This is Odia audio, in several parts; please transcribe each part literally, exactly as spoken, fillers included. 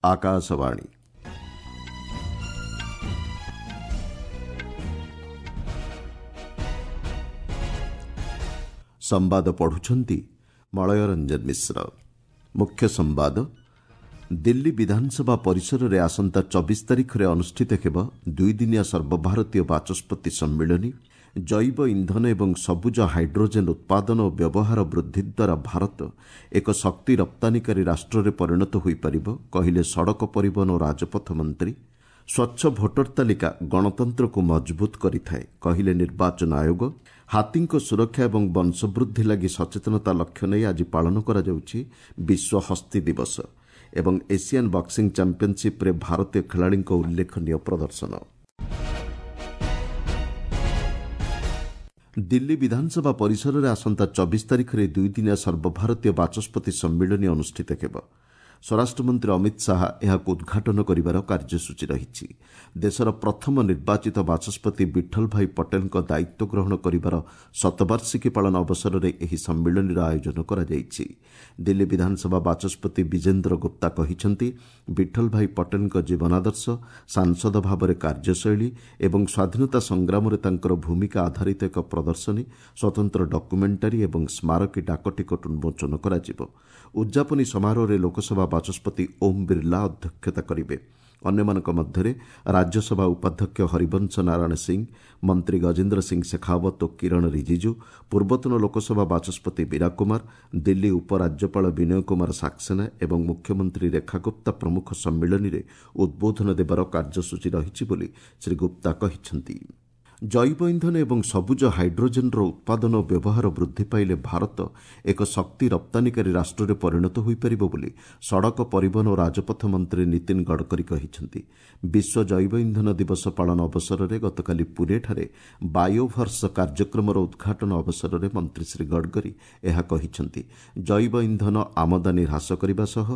ଆକାଶବାଣୀ ସମ୍ବାଦ ପଢୁଛନ୍ତି ମଳୟ ରଞ୍ଜନ ମିଶ୍ର। ମୁଖ୍ୟ ସମ୍ବାଦ। ଦିଲ୍ଲୀ ବିଧାନସଭା ପରିସରରେ ଆସନ୍ତା ଚବିଶ ତାରିଖରେ ଅନୁଷ୍ଠିତ ହେବ ଦୁଇଦିନିଆ ସର୍ବଭାରତୀୟ ବାଚସ୍ପତି ସମ୍ମିଳନୀ। ଜୈବ ଇନ୍ଧନ ଏବଂ ସବୁଜ ହାଇଡ୍ରୋଜେନ୍ ଉତ୍ପାଦନ ଓ ବ୍ୟବହାର ବୃଦ୍ଧି ଦ୍ୱାରା ଭାରତ ଏକ ଶକ୍ତି ରପ୍ତାନୀକାରୀ ରାଷ୍ଟ୍ରରେ ପରିଣତ ହୋଇପାରିବ, କହିଲେ ସଡ଼କ ପରିବହନ ଓ ରାଜପଥ ମନ୍ତ୍ରୀ। ସ୍ୱଚ୍ଛ ଭୋଟର ତାଲିକା ଗଣତନ୍ତ୍ରକୁ ମଜବୁତ କରିଥାଏ, କହିଲେ ନିର୍ବାଚନ ଆୟୋଗ। ହାତୀଙ୍କ ସୁରକ୍ଷା ଏବଂ ବଂଶବୃଦ୍ଧି ଲାଗି ସଚେତନତା ଲକ୍ଷ୍ୟ ନେଇ ଆଜି ପାଳନ କରାଯାଉଛି ବିଶ୍ୱ ହସ୍ତୀ ଦିବସ। ଏବଂ ଏସିଆନ୍ ବକ୍ସିଂ ଚାମ୍ପିୟନସିପ୍ରେ ଭାରତୀୟ ଖେଳାଳିଙ୍କ ଉଲ୍ଲେଖନୀୟ ପ୍ରଦର୍ଶନ। ଦିଲ୍ଲୀ ବିଧାନସଭା ପରିସରରେ ଆସନ୍ତା ଚବିଶ ତାରିଖରେ ଦୁଇଦିନିଆ ସର୍ବଭାରତୀୟ ବାଚସ୍ପତି ସମ୍ମିଳନୀ ଅନୁଷ୍ଠିତ ହେବ। ସ୍ୱରାଷ୍ଟ୍ରମନ୍ତ୍ରୀ ଅମିତ ଶାହା ଏହାକୁ ଉଦ୍ଘାଟନ କରିବାର କାର୍ଯ୍ୟସୂଚୀ ରହିଛି। ଦେଶର ପ୍ରଥମ ନିର୍ବାଚିତ ବାଚସ୍ପତି ବିଠଲ ଭାଇ ପଟେଲଙ୍କ ଦାୟିତ୍ୱ ଗ୍ରହଣ କରିବାର ଶତବାର୍ଷିକୀ ପାଳନ ଅବସରରେ ଏହି ସମ୍ମିଳନୀର ଆୟୋଜନ କରାଯାଇଛି। ଦିଲ୍ଲୀ ବିଧାନସଭା ବାଚସ୍ପତି ବିଜେନ୍ଦ୍ର ଗୁପ୍ତା କହିଛନ୍ତି, ବିଠଲ ଭାଇ ପଟେଲଙ୍କ ଜୀବନାଦର୍ଶ, ସାଂସଦ ଭାବରେ କାର୍ଯ୍ୟଶୈଳୀ ଏବଂ ସ୍ୱାଧୀନତା ସଂଗ୍ରାମରେ ତାଙ୍କର ଭୂମିକା ଆଧାରିତ ଏକ ପ୍ରଦର୍ଶନୀ, ସ୍ୱତନ୍ତ୍ର ଡକ୍ୟୁମେଣ୍ଟାରୀ ଏବଂ ସ୍ମାରକୀ ଡାକଟିକଟ ଉନ୍ମୋଚନ କରାଯିବ। ଉଦ୍ଯାପନୀ ସମାରୋହରେ ଲୋକସଭା ବାଚସ୍ପତି ଓମ୍ ବିର୍ଲା ଅଧ୍ୟକ୍ଷତା କରିବେ। ଅନ୍ୟମାନଙ୍କ ମଧ୍ୟରେ ରାଜ୍ୟସଭା ଉପାଧ୍ୟକ୍ଷ ହରିବଂଶ ନାରାୟଣ ସିଂ, ମନ୍ତ୍ରୀ ଗଜେନ୍ଦ୍ର ସିଂ ଶେଖାଓ୍ୱତ ଓ କିରଣ ରିଜିଜୁ, ପୂର୍ବତନ ଲୋକସଭା ବାଚସ୍ପତି ମୀରା କୁମାର, ଦିଲ୍ଲୀ ଉପରାଜ୍ୟପାଳ ବିନୟ କୁମାର ସାକ୍ସେନା ଏବଂ ମୁଖ୍ୟମନ୍ତ୍ରୀ ରେଖା ଗୁପ୍ତା ପ୍ରମୁଖ ସମ୍ମିଳନୀରେ ଉଦ୍ବୋଧନ ଦେବାର କାର୍ଯ୍ୟସୂଚୀ ରହିଛି ବୋଲି ଶ୍ରୀ ଗୁପ୍ତା କହିଛନ୍ତି। ଜୈବ ଇନ୍ଧନ ଏବଂ ସବୁଜ ହାଇଡ୍ରୋଜେନ୍ର ଉତ୍ପାଦନ ଓ ବ୍ୟବହାର ବୃଦ୍ଧି ପାଇଲେ ଭାରତ ଏକ ଶକ୍ତି ରପ୍ତାନୀକାରୀ ରାଷ୍ଟ୍ରରେ ପରିଣତ ହୋଇପାରିବ ବୋଲି ସଡ଼କ ପରିବହନ ଓ ରାଜପଥ ମନ୍ତ୍ରୀ ନୀତିନ ଗଡ଼କରୀ କହିଛନ୍ତି। ବିଶ୍ୱ ଜୈବ ଇନ୍ଧନ ଦିବସ ପାଳନ ଅବସରରେ ଗତକାଲି ପୁନେଠାରେ ବାୟୋଭର୍ସ କାର୍ଯ୍ୟକ୍ରମର ଉଦ୍ଘାଟନ ଅବସରରେ ମନ୍ତ୍ରୀ ଶ୍ରୀ ଗଡ଼କରୀ ଏହା କହିଛନ୍ତି। ଜୈବ ଇନ୍ଧନ ଆମଦାନୀ ହ୍ରାସ କରିବା ସହ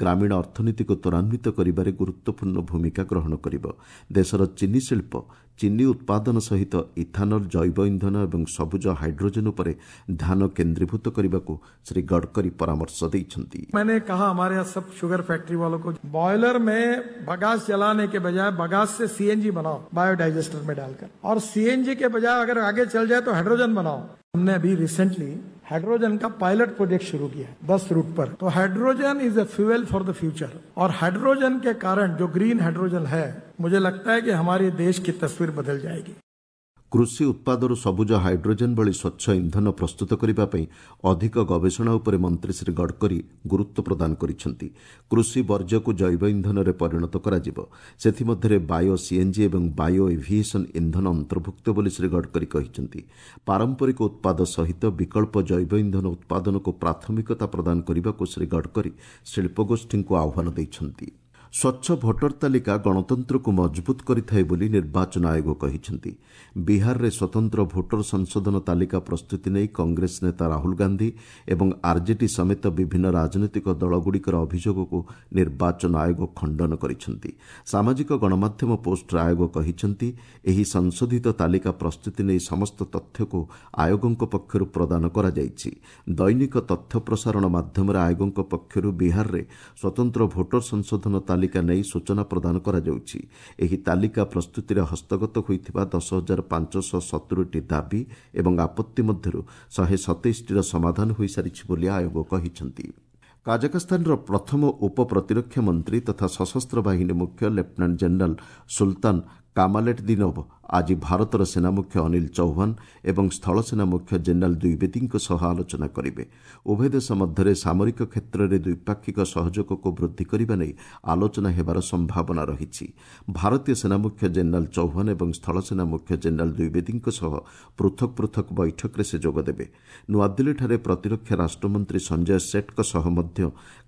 ଗ୍ରାମୀଣ ଅର୍ଥନୀତିକୁ ତ୍ୱରାନ୍ୱିତ କରିବାରେ ଗୁରୁତ୍ୱପୂର୍ଣ୍ଣ ଭୂମିକା ଗ୍ରହଣ କରିବ। ଦେଶର ଚିନି ଶିଳ୍ପ ଚିନି ଉତ୍ପାଦନ ସହିତ ଇଥାନଲ, ଜୈବ ଇନ୍ଧନ ଏବଂ ସବୁଜ ହାଇଡ୍ରୋଜେନ୍ ଉପରେ ଧ୍ୟାନ କେନ୍ଦ୍ରୀଭୂତ କରିବାକୁ ଶ୍ରୀ ଗଡ଼କରୀ ପରାମର୍ଶ ଦେଇଛନ୍ତି। मैंने कहा हमारे यहाँ सब शुगर फैक्ट्री वालों को बॉयलर में बगास जलाने के बजाय बगास से सीएनजी बनाओ बायोडाइजेस्टर में डालकर, और सीएनजी के बजाय अगर आगे चल जाए तो हाइड्रोजन बनाओ। हमने अभी रिसेंटली हाइड्रोजन का पायलट प्रोजेक्ट शुरू किया है दस रूट पर। तो hydrogen is a fuel for the future, और हाइड्रोजन के कारण जो ग्रीन हाइड्रोजन है, मुझे लगता है कि हमारे देश की तस्वीर बदल जाएगी। କୃଷି ଉତ୍ପାଦରୁ ସବୁଜ ହାଇଡ୍ରୋଜେନ୍ ଭଳି ସ୍ୱଚ୍ଛ ଇନ୍ଧନ ପ୍ରସ୍ତୁତ କରିବା ପାଇଁ ଅଧିକ ଗବେଷଣା ଉପରେ ମନ୍ତ୍ରୀ ଶ୍ରୀ ଗଡ଼କରୀ ଗୁରୁତ୍ୱ ପ୍ରଦାନ କରିଛନ୍ତି। କୃଷି ବର୍ଜ୍ୟକୁ ଜୈବ ଇନ୍ଧନରେ ପରିଣତ କରାଯିବ। ସେଥିମଧ୍ୟରେ ବାୟୋ ସିଏନ୍ଜି ଏବଂ ବାୟୋ ଏଭିଏସନ୍ ଇନ୍ଧନ ଅନ୍ତର୍ଭୁକ୍ତ ବୋଲି ଶ୍ରୀ ଗଡ଼କରୀ କହିଛନ୍ତି। ପାରମ୍ପରିକ ଉତ୍ପାଦ ସହିତ ବିକଳ୍ପ ଜୈବ ଇନ୍ଧନ ଉତ୍ପାଦନକୁ ପ୍ରାଥମିକତା ପ୍ରଦାନ କରିବାକୁ ଶ୍ରୀ ଗଡ଼କରୀ ଶିଳ୍ପଗୋଷ୍ଠୀଙ୍କୁ ଆହ୍ୱାନ ଦେଇଛନ୍ତି। ସ୍ୱଚ୍ଛ ଭୋଟର ତାଲିକା ଗଣତନ୍ତ୍ରକୁ ମଜବୁତ କରିଥାଏ ବୋଲି ନିର୍ବାଚନ ଆୟୋଗ କହିଛନ୍ତି। ବିହାରରେ ସ୍ୱତନ୍ତ୍ର ଭୋଟର ସଂଶୋଧନ ତାଲିକା ପ୍ରସ୍ତୁତି ନେଇ କଂଗ୍ରେସ ନେତା ରାହୁଲ ଗାନ୍ଧୀ ଏବଂ ଆର୍ଜେଡି ସମେତ ବିଭିନ୍ନ ରାଜନୈତିକ ଦଳଗୁଡ଼ିକର ଅଭିଯୋଗକୁ ନିର୍ବାଚନ ଆୟୋଗ ଖଣ୍ଡନ କରିଛନ୍ତି। ସାମାଜିକ ଗଣମାଧ୍ୟମ ପୋଷ୍ଟରେ ଆୟୋଗ କହିଛନ୍ତି, ଏହି ସଂଶୋଧିତ ତାଲିକା ପ୍ରସ୍ତୁତି ନେଇ ସମସ୍ତ ତଥ୍ୟକୁ ଆୟୋଗଙ୍କ ପକ୍ଷରୁ ପ୍ରଦାନ କରାଯାଇଛି। ଦୈନିକ ତଥ୍ୟ ପ୍ରସାରଣ ମାଧ୍ୟମରେ ଆୟୋଗଙ୍କ ପକ୍ଷରୁ ବିହାରରେ ସ୍ୱତନ୍ତ୍ର ଭୋଟର ସଂଶୋଧନ ତାଲିକା ନେଇ ସୂଚନା ପ୍ରଦାନ କରାଯାଉଛି। ଏହି ତାଲିକା ପ୍ରସ୍ତୁତିରେ ହସ୍ତଗତ ହୋଇଥିବା ଦଶ ହଜାର ପାଞ୍ଚଶହ ସତୁରିଟି ଦାବି ଏବଂ ଆପତ୍ତି ମଧ୍ୟରୁ ଶହେ ସତେଇଶଟିର ସମାଧାନ ହୋଇସାରିଛି ବୋଲି ଆୟୋଗ କହିଛନ୍ତି। କାଜାକସ୍ତାନର ପ୍ରଥମ ଉପ ପ୍ରତିରକ୍ଷା ମନ୍ତ୍ରୀ ତଥା ସଶସ୍ତ୍ର ବାହିନୀ ମୁଖ୍ୟ ଲେଫ୍ଟନାଣ୍ଟ ଜେନେରାଲ ସୁଲତାନ କାମାଲେଟଦିନୋଭ ଆଜି ଭାରତର ସେନାମୁଖ୍ୟ ଅନିଲ ଚୌହାନ ଏବଂ ସ୍ଥଳସେନା ମୁଖ୍ୟ ଜେନେରାଲ ଦ୍ୱିବେଦୀଙ୍କ ସହ ଆଲୋଚନା କରିବେ। ଉଭୟ ଦେଶ ମଧ୍ୟରେ ସାମରିକ କ୍ଷେତ୍ରରେ ଦ୍ୱିପାକ୍ଷିକ ସହଯୋଗକୁ ବୃଦ୍ଧି କରିବା ନେଇ ଆଲୋଚନା ହେବାର ସମ୍ଭାବନା ରହିଛି। ଭାରତୀୟ ସେନାମୁଖ୍ୟ ଜେନେରାଲ ଚୌହାନ ଏବଂ ସ୍ଥଳସେନା ମୁଖ୍ୟ ଜେନେରାଲ ଦ୍ୱିବେଦୀଙ୍କ ସହ ପୃଥକ ପୃଥକ ବୈଠକରେ ସେ ଯୋଗଦେବେ। ନୂଆଦିଲ୍ଲୀଠାରେ ପ୍ରତିରକ୍ଷା ରାଷ୍ଟ୍ରମନ୍ତ୍ରୀ ସଞ୍ଜୟ ସେଠଙ୍କ ସହ ମଧ୍ୟ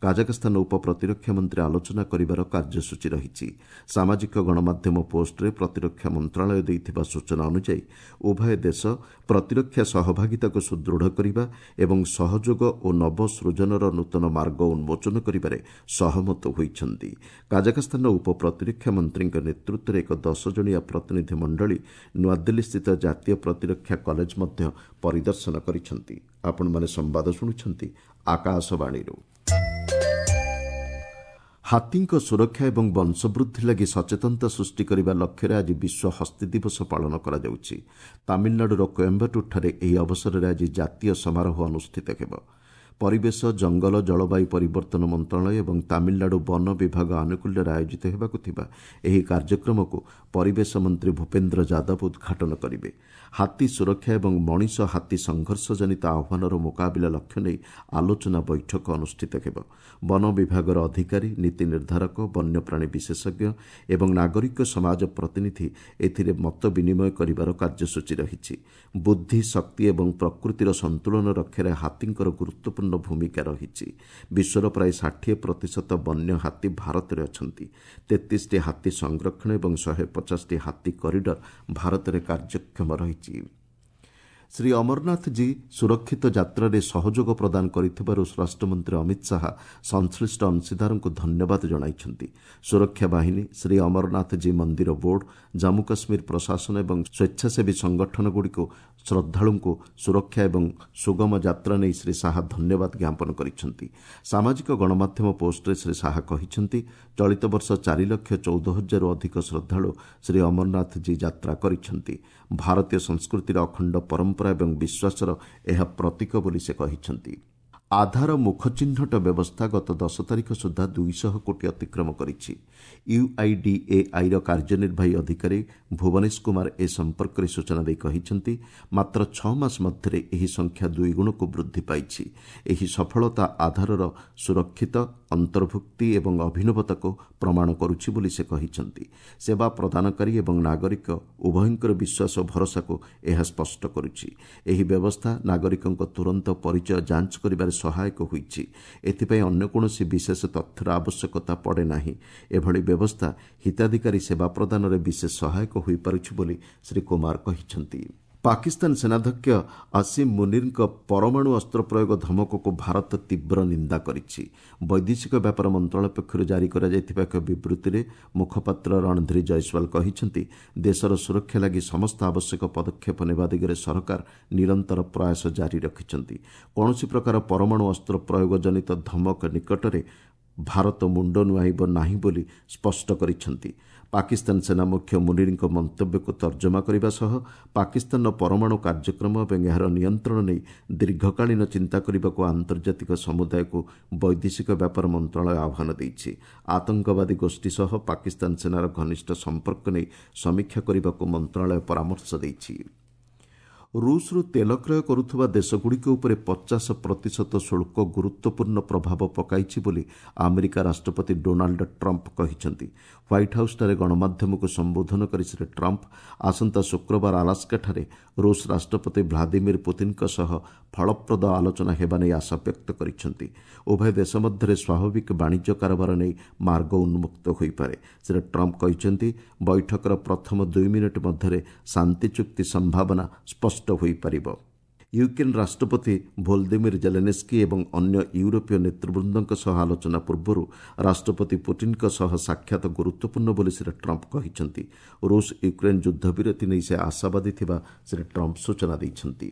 କାଜାକସ୍ତାନ ଉପ ପ୍ରତିରକ୍ଷା ମନ୍ତ୍ରୀ ଆଲୋଚନା କରିବାର କାର୍ଯ୍ୟସୂଚୀ ରହିଛି। ସାମାଜିକ ଗଣମାଧ୍ୟମ ପୋଷ୍ଟରେ ପ୍ରତିରକ୍ଷା ମନ୍ତ୍ରଣାଳୟ ଦେଇଥିବା ସୂଚନା ଅନୁଯାୟୀ ଉଭୟ ଦେଶ ପ୍ରତିରକ୍ଷା ସହଭାଗିତାକୁ ସୁଦୃଢ଼ କରିବା ଏବଂ ସହଯୋଗ ଓ ନବସୃଜନର ନୂତନ ମାର୍ଗ ଉନ୍ମୋଚନ କରିବାରେ ସହମତ ହୋଇଛନ୍ତି। କାଜାକସ୍ତାନର ଉପ ପ୍ରତିରକ୍ଷା ମନ୍ତ୍ରୀଙ୍କ ନେତୃତ୍ୱରେ ଏକ ଦଶ ଜଣିଆ ପ୍ରତିନିଧି ମଣ୍ଡଳୀ ନୂଆଦିଲ୍ଲୀସ୍ଥିତ ଜାତୀୟ ପ୍ରତିରକ୍ଷା କଲେଜ ମଧ୍ୟ ପରିଦର୍ଶନ କରିଛନ୍ତି। ଆପଣମାନେ ସମ୍ବାଦ ଶୁଣୁଛନ୍ତି ଆକାଶବାଣୀରୁ। ହାତୀଙ୍କ ସୁରକ୍ଷା ଏବଂ ବଂଶବୃଦ୍ଧି ଲାଗି ସଚେତନତା ସୃଷ୍ଟି କରିବା ଲକ୍ଷ୍ୟରେ ଆଜି ବିଶ୍ୱ ହସ୍ତୀ ଦିବସ ପାଳନ କରାଯାଉଛି। ତାମିଲନାଡୁର କୋଏମ୍ବାଟୁରଠାରେ ଏହି ଅବସରରେ ଆଜି ଜାତୀୟ ସମାରୋହ ଅନୁଷ୍ଠିତ ହେବ। ପରିବେଶ, ଜଙ୍ଗଲ, ଜଳବାୟୁ ପରିବର୍ତ୍ତନ ମନ୍ତ୍ରଣାଳୟ ଏବଂ ତାମିଲନାଡୁ ବନ ବିଭାଗ ଆନୁକୂଲ୍ୟରେ ଆୟୋଜିତ ହେବାକୁ ଥିବା ଏହି କାର୍ଯ୍ୟକ୍ରମକୁ ପରିବେଶ ମନ୍ତ୍ରୀ ଭୂପେନ୍ଦ୍ର ଯାଦବ ଉଦ୍ଘାଟନ କରିବେ। ହାତୀ ସୁରକ୍ଷା ଏବଂ ମଣିଷ ହାତୀ ସଂଘର୍ଷ ଜନିତ ଆହ୍ୱାନର ମୁକାବିଲା ଲକ୍ଷ୍ୟ ନେଇ ଆଲୋଚନା ବୈଠକ ଅନୁଷ୍ଠିତ ହେବ। ବନ ବିଭାଗର ଅଧିକାରୀ, ନୀତି ନିର୍ଦ୍ଧାରକ, ବନ୍ୟପ୍ରାଣୀ ବିଶେଷଜ୍ଞ ଏବଂ ନାଗରିକ ସମାଜ ପ୍ରତିନିଧି ଏଥିରେ ମତ ବିନିମୟ କରିବାର କାର୍ଯ୍ୟସୂଚୀ ରହିଛି। ବୁଦ୍ଧି, ଶକ୍ତି ଏବଂ ପ୍ରକୃତିର ସନ୍ତୁଳନ ରକ୍ଷାରେ ହାତୀଙ୍କର ଗୁରୁତ୍ୱପୂର୍ଣ୍ଣ ଭୂମିକା ରହିଛି। ବିଶ୍ୱର ପ୍ରାୟ ଷାଠିଏ ପ୍ରତିଶତ ବନ୍ୟ ହାତୀ ଭାରତରେ ଅଛନ୍ତି। ତେତିଶଟି ହାତୀ ସଂରକ୍ଷଣ ଏବଂ ଶହେ ପଚାଶଟି ହାତୀ କରିଡର ଭାରତରେ କାର୍ଯ୍ୟକ୍ଷମ ରହିଛି। ଶ୍ରୀ ଅମରନାଥଜୀ ସୁରକ୍ଷିତ ଯାତ୍ରାରେ ସହଯୋଗ ପ୍ରଦାନ କରିଥିବାରୁ ସ୍ୱରାଷ୍ଟ୍ରମନ୍ତ୍ରୀ ଅମିତ ଶାହା ସଂଶ୍ଳିଷ୍ଟ ଅଂଶୀଦାରଙ୍କୁ ଧନ୍ୟବାଦ ଜଣାଇଛନ୍ତି। ସୁରକ୍ଷା ବାହିନୀ, ଶ୍ରୀ ଅମରନାଥଜୀ ମନ୍ଦିର ବୋର୍ଡ, ଜାମ୍ମୁ କାଶ୍ମୀର ପ୍ରଶାସନ ଏବଂ ସ୍ୱେଚ୍ଛାସେବୀ ସଂଗଠନଗୁଡ଼ିକୁ ଶ୍ରଦ୍ଧାଳୁଙ୍କୁ ସୁରକ୍ଷା ଏବଂ ସୁଗମ ଯାତ୍ରା ନେଇ ଶ୍ରୀ ଶାହା ଧନ୍ୟବାଦ ଜ୍ଞାପନ କରିଛନ୍ତି। ସାମାଜିକ ଗଣମାଧ୍ୟମ ପୋଷ୍ଟରେ ଶ୍ରୀ ଶାହା କହିଛନ୍ତି, ଚଳିତ ବର୍ଷ ଚାରି ଲକ୍ଷ ଚଉଦ ହଜାରରୁ ଅଧିକ ଶ୍ରଦ୍ଧାଳୁ ଶ୍ରୀ ଅମରନାଥଜୀ ଯାତ୍ରା କରିଛନ୍ତି। ଭାରତୀୟ ସଂସ୍କୃତିର ଅଖଣ୍ଡ ପରମ୍ପରା ଏବଂ ବିଶ୍ୱାସର ଏହା ପ୍ରତୀକ ବୋଲି ସେ କହିଛନ୍ତି। ଆଧାର ମୁଖ ଚିହ୍ନଟ ବ୍ୟବସ୍ଥା ଗତ ଦଶ ତାରିଖ ସୁଦ୍ଧା ଦୁଇଶହ କୋଟି ଅତିକ୍ରମ କରିଛି। ୟୁଆଇଡିଏଆଇର କାର୍ଯ୍ୟନିର୍ବାହୀ ଅଧିକାରୀ ଭୁବନେଶ କୁମାର ଏ ସମ୍ପର୍କରେ ସୂଚନା ଦେଇ କହିଛନ୍ତି, ମାତ୍ର ଛଅ ମାସ ମଧ୍ୟରେ ଏହି ସଂଖ୍ୟା ଦୁଇଗୁଣକୁ ବୃଦ୍ଧି ପାଇଛି। ଏହି ସଫଳତା ଆଧାରର ସୁରକ୍ଷିତ, ଅନ୍ତର୍ଭୁକ୍ତି ଏବଂ ଅଭିନବତାକୁ ପ୍ରମାଣ କରୁଛି ବୋଲି ସେ କହିଛନ୍ତି। ସେବା ପ୍ରଦାନକାରୀ ଏବଂ ନାଗରିକ ଉଭୟଙ୍କର ବିଶ୍ୱାସ ଓ ଭରସାକୁ ଏହା ସ୍ପଷ୍ଟ କରୁଛି। ଏହି ବ୍ୟବସ୍ଥା ନାଗରିକଙ୍କ ତୁରନ୍ତ ପରିଚୟ ଯାଞ୍ଚ କରିବାରେ ସହାୟକ ହୋଇଛି। ଏଥିପାଇଁ ଅନ୍ୟ କୌଣସି ବିଶେଷ ତଥ୍ୟର ଆବଶ୍ୟକତା ପଡ଼େ ନାହିଁ। ଏଭଳି ବ୍ୟବସ୍ଥା ହିତାଧିକାରୀ ସେବା ପ୍ରଦାନରେ ବିଶେଷ ସହାୟକ ହୋଇପାରୁଛି ବୋଲି ଶ୍ରୀ କୁମାର କହିଛନ୍ତି। ପାକିସ୍ତାନ ସେନାଧ୍ୟକ୍ଷ ଆସିମ ମୁନିରଙ୍କ ପରମାଣୁ ଅସ୍ତ୍ର ପ୍ରୟୋଗ ଧମକକୁ ଭାରତ ତୀବ୍ର ନିନ୍ଦା କରିଛି। ବୈଦେଶିକ ବ୍ୟାପାର ମନ୍ତ୍ରଣାଳୟ ପକ୍ଷରୁ ଜାରି କରାଯାଇଥିବା ଏକ ବିବୃତ୍ତିରେ ମୁଖପାତ୍ର ରଣଧୀର ଜୟସ୍ୱାଲ କହିଛନ୍ତି, ଦେଶର ସୁରକ୍ଷା ଲାଗି ସମସ୍ତ ଆବଶ୍ୟକ ପଦକ୍ଷେପ ନେବା ଦିଗରେ ସରକାର ନିରନ୍ତର ପ୍ରୟାସ ଜାରି ରଖିଛନ୍ତି। କୌଣସି ପ୍ରକାର ପରମାଣୁ ଅସ୍ତ୍ର ପ୍ରୟୋଗ ଜନିତ ଧମକ ନିକଟରେ ଭାରତ ମୁଣ୍ଡ ନୁଆଇବ ନାହିଁ ବୋଲି ସ୍ପଷ୍ଟ କରିଛନ୍ତି। ପାକିସ୍ତାନ ସେନା ମୁଖ୍ୟ ମୁନିରଙ୍କ ମନ୍ତବ୍ୟକୁ ତର୍ଜମା କରିବା ସହ ପାକିସ୍ତାନର ପରମାଣୁ କାର୍ଯ୍ୟକ୍ରମ ଏବଂ ଏହାର ନିୟନ୍ତ୍ରଣ ନେଇ ଦୀର୍ଘକାଳୀନ ଚିନ୍ତା କରିବାକୁ ଆନ୍ତର୍ଜାତିକ ସମୁଦାୟକୁ ବୈଦେଶିକ ବ୍ୟାପାର ମନ୍ତ୍ରଣାଳୟ ଆହ୍ୱାନ ଦେଇଛି। ଆତଙ୍କବାଦୀ ଗୋଷ୍ଠୀ ସହ ପାକିସ୍ତାନ ସେନାର ଘନିଷ୍ଠ ସମ୍ପର୍କ ନେଇ ସମୀକ୍ଷା କରିବାକୁ ମନ୍ତ୍ରଣାଳୟ ପରାମର୍ଶ ଦେଇଛି। ରୁଷରୁ ତେଲ କ୍ରୟ କରୁଥିବା ଦେଶଗୁଡ଼ିକ ଉପରେ ପଚାଶ ପ୍ରତିଶତ ଶୁଳ୍କ ଗୁରୁତ୍ୱପୂର୍ଣ୍ଣ ପ୍ରଭାବ ପକାଇଛି ବୋଲି ଆମେରିକା ରାଷ୍ଟ୍ରପତି ଡୋନାଲ୍ଡ ଟ୍ରମ୍ପ କହିଛନ୍ତି। ହ୍ୱାଇଟ୍ ହାଉସ୍ଠାରେ ଗଣମାଧ୍ୟମକୁ ସମ୍ବୋଧନ କରି ଶ୍ରୀ ଟ୍ରମ୍ପ ଆସନ୍ତା ଶୁକ୍ରବାର ଆଲାସ୍କାଠାରେ ରୁଷ ରାଷ୍ଟ୍ରପତି ଭ୍ଲାଦିମିର ପୁତିନଙ୍କ ସହ ଫଳପ୍ରଦ ଆଲୋଚନା ହେବା ନେଇ ଆଶା ବ୍ୟକ୍ତ କରିଛନ୍ତି। ଉଭୟ ଦେଶ ମଧ୍ୟରେ ସ୍ୱାଭାବିକ ବାଣିଜ୍ୟ କାରବାର ନେଇ ମାର୍ଗ ଉନ୍ମୁକ୍ତ ହୋଇପାରେ। ଶ୍ରୀ ଟ୍ରମ୍ପ କହିଛନ୍ତି, ବୈଠକର ପ୍ରଥମ ଦୁଇ ମିନିଟ୍ ମଧ୍ୟରେ ଶାନ୍ତି ଚୁକ୍ତି ସମ୍ଭାବନା ସ୍ପଷ୍ଟ ହୋଇପାରିବ। ୟୁକ୍ରେନ୍ ରାଷ୍ଟ୍ରପତି ଭୋଲଦିମିର ଜେଲେନେସ୍କି ଏବଂ ଅନ୍ୟ ୟୁରୋପୀୟ ନେତୃବୃନ୍ଦଙ୍କ ସହ ଆଲୋଚନା ପୂର୍ବରୁ ରାଷ୍ଟ୍ରପତି ପୁଟିନଙ୍କ ସହ ସାକ୍ଷାତ ଗୁରୁତ୍ୱପୂର୍ଣ୍ଣ ବୋଲି ଶ୍ରୀ ଟ୍ରମ୍ପ କହିଛନ୍ତି। ରୁଷ ୟୁକ୍ରେନ୍ ଯୁଦ୍ଧବିରତି ନେଇ ସେ ଆଶାବାଦୀ ଥିବା ଶ୍ରୀ ଟ୍ରମ୍ପ ସୂଚନା ଦେଇଛନ୍ତି।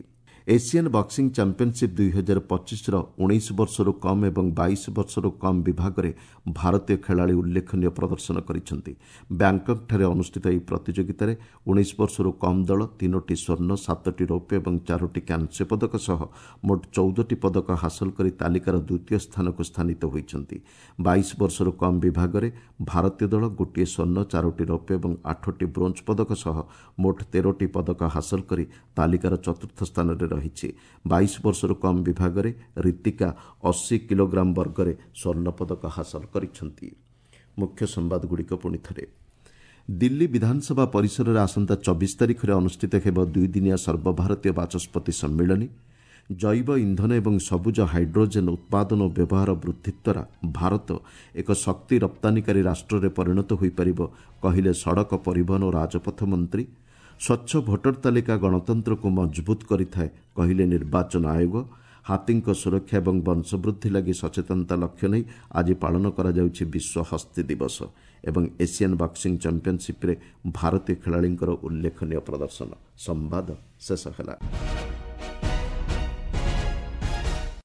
ଏସିଆନ୍ ବକ୍ସିଂ ଚାମ୍ପିୟନସିପ୍ ଦୁଇ ହଜାର ପଚିଶର ଉଣେଇଶ ବର୍ଷରୁ କମ୍ ଏବଂ ବାଇଶ ବର୍ଷରୁ କମ୍ ବିଭାଗରେ ଭାରତୀୟ ଖେଳାଳି ଉଲ୍ଲେଖନୀୟ ପ୍ରଦର୍ଶନ କରିଛନ୍ତି। ବ୍ୟାଙ୍କକ୍ଠାରେ ଅନୁଷ୍ଠିତ ଏହି ପ୍ରତିଯୋଗିତାରେ ଉଣେଇଶ ବର୍ଷରୁ କମ୍ ଦଳ ତିନୋଟି ସ୍ୱର୍ଣ୍ଣ, ସାତଟି ରୌପ୍ୟ ଏବଂ ଚାରୋଟି କାଂସ୍ୟ ପଦକ ସହ ମୋଟ ଚଉଦଟି ପଦକ ହାସଲ କରି ତାଲିକାର ଦ୍ୱିତୀୟ ସ୍ଥାନକୁ ସ୍ଥାନିତ ହୋଇଛନ୍ତି। ବାଇଶ ବର୍ଷରୁ କମ୍ ବିଭାଗରେ ଭାରତୀୟ ଦଳ ଗୋଟିଏ ସ୍ୱର୍ଣ୍ଣ, ଚାରୋଟି ରୌପ୍ୟ ଏବଂ ଆଠଟି ବ୍ରୋଞ୍ଜ ପଦକ ସହ ମୋଟ ତେରଟି ପଦକ ହାସଲ କରି ତାଲିକାର ଚତୁର୍ଥ ସ୍ଥାନରେ ରହିଛି। ବାଇଶ ବର୍ଷରୁ କମ୍ ବିଭାଗରେ ରୀତିକା ଅଶୀ କିଲୋଗ୍ରାମ ବର୍ଗରେ ସ୍ୱର୍ଣ୍ଣ ପଦକ ହାସଲ କରିଛନ୍ତି। ମୁଖ୍ୟ ସମ୍ବାଦଗୁଡ଼ିକ ପୁଣି ଥରେ। ଦିଲ୍ଲୀ ବିଧାନସଭା ପରିସରରେ ଆସନ୍ତା ଚବିଶ ତାରିଖରେ ଅନୁଷ୍ଠିତ ହେବ ଦୁଇଦିନିଆ ସର୍ବଭାରତୀୟ ବାଚସ୍ପତି ସମ୍ମିଳନୀ। ଜୈବ ଇନ୍ଧନ ଏବଂ ସବୁଜ ହାଇଡ୍ରୋଜେନ୍ ଉତ୍ପାଦନ ଓ ବ୍ୟବହାର ବୃଦ୍ଧି ଦ୍ୱାରା ଭାରତ ଏକ ଶକ୍ତି ରପ୍ତାନିକାରୀ ରାଷ୍ଟ୍ରରେ ପରିଣତ ହୋଇପାରିବ, କହିଲେ ସଡ଼କ ପରିବହନ ଓ ରାଜପଥ ମନ୍ତ୍ରୀ। ସ୍ୱଚ୍ଛ ଭୋଟର ତାଲିକା ଗଣତନ୍ତ୍ରକୁ ମଜବୁତ କରିଥାଏ, କହିଲେ ନିର୍ବାଚନ ଆୟୋଗ। ହାତୀଙ୍କ ସୁରକ୍ଷା ଏବଂ ବଂଶବୃଦ୍ଧି ଲାଗି ସଚେତନତା ଲକ୍ଷ୍ୟ ନେଇ ଆଜି ପାଳନ କରାଯାଉଛି ବିଶ୍ୱ ହସ୍ତୀ ଦିବସ। ଏବଂ ଏସିଆନ୍ ବକ୍ସିଂ ଚାମ୍ପିୟନସିପ୍ରେ ଭାରତୀୟ ଖେଳାଳିଙ୍କର ଉଲ୍ଲେଖନୀୟ ପ୍ରଦର୍ଶନ। ସମ୍ବାଦ ଶେଷ ହେଲା।